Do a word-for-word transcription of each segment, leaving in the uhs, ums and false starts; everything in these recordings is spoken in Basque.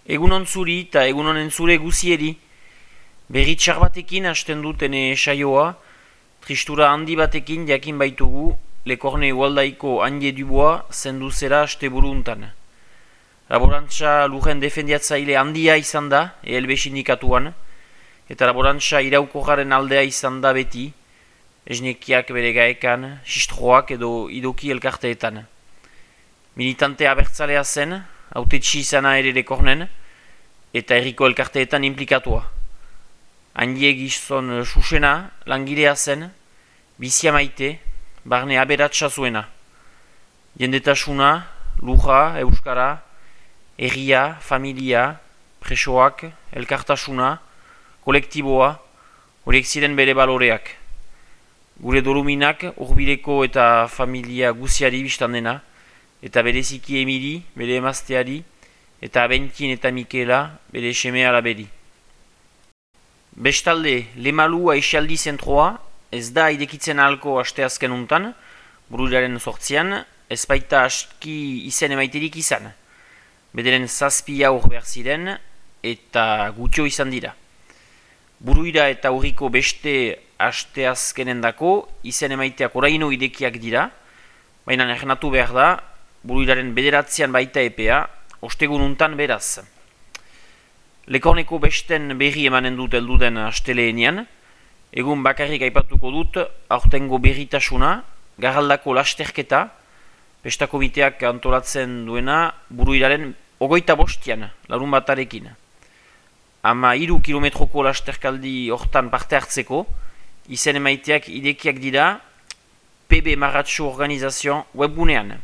Egunon zuri eta egunon entzule guzieri. Berri txar batekin hasten dutene saioa, tristura handi batekin jakin baitugu Lekorne Ualdaiko Anje Dubois zendu zera haste buru untan. Laborantza lujen defendiatzaile handia izan da, E L B sindikatuan, eta laborantza iraukorraren aldea izan da beti, esnekiak bere gaekan, sistroak edo idoki elkarteetan. Militante abertzalea zen, hautetsi izana ere Lekornen, eta herriko elkarteetan implikatua. Handie gizon susena, langilea zen, bizia maite, barne aberatsa zuena. Jendetasuna, luja, euskara, herria, familia, presoak, elkartasuna, kolektiboa, horiek ziren bere baloreak. Gure doluminak urbileko eta familia guziari biztan dena, eta bereziki Emili, bere emazteari, eta Abentin eta Mikela, bere semea alaberi. Bestalde, Lemalu aixaldi zentroa, ez da irekitzen ahalko asteazken untan, buruiraren sortzian, ez baita aski izen emaiterik izan. Bederen zazpi aur behar ziren, eta gutxo izan dira. Buruira eta urriko beste asteazkenen dako, izen emaiteak oraino irekiak dira, baina ernatu behar da, buruiraren bederatzean baita epea, ostegun untan beraz. Lekorneko besten berri emanen dut elduden asteleenean, egun bakarrik aipatuko dut aurtengo berritasuna, garraldako lasterketa, pestako biteak antolatzen duena buruiraren ogoita bostian, larun batarekin. Ama hiru kilometroko lasterkaldi hortan parte hartzeko, izen emaiteak idekiak dira P B Marratxo Organizazioan webgunean.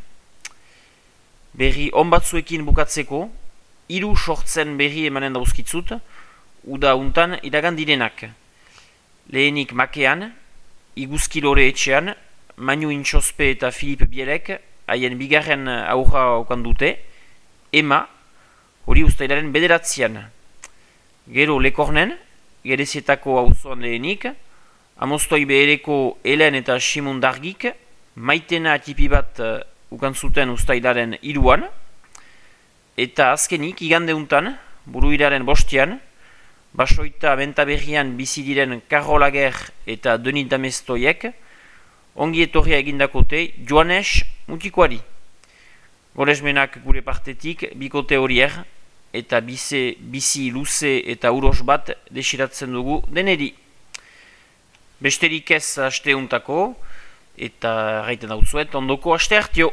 Berri on batzuekin bukatzeko, hiru sortzen berri emanen dauzkitzut, uda untan iragan direnak. Lehenik Makean, Iguzkilore etxean, Manu Intxospe eta Filip Bielek, haien bigarren aurra okan dute, Ema, hori ustailaren bederatzean. Gero Lekornen, Gerezietako auzoan lehenik, Amostoi behereko Helen eta Simon Dargik, Maitena atipi bat ukan zuten ustailaren hiruan, eta azkenik igande untan, buruiraren bostian, Basoita Bentaberrian bizi diren Karolager eta Denis Damestoiek, ongi etorria egindakote Joanes Mutikoari. Goresmenak gure partetik bikote horier, eta bize, bizi luze eta uros bat desiratzen dugu deneri. Besterik ez aste untako, eta gaiten dautzuet ondoko aste hartio.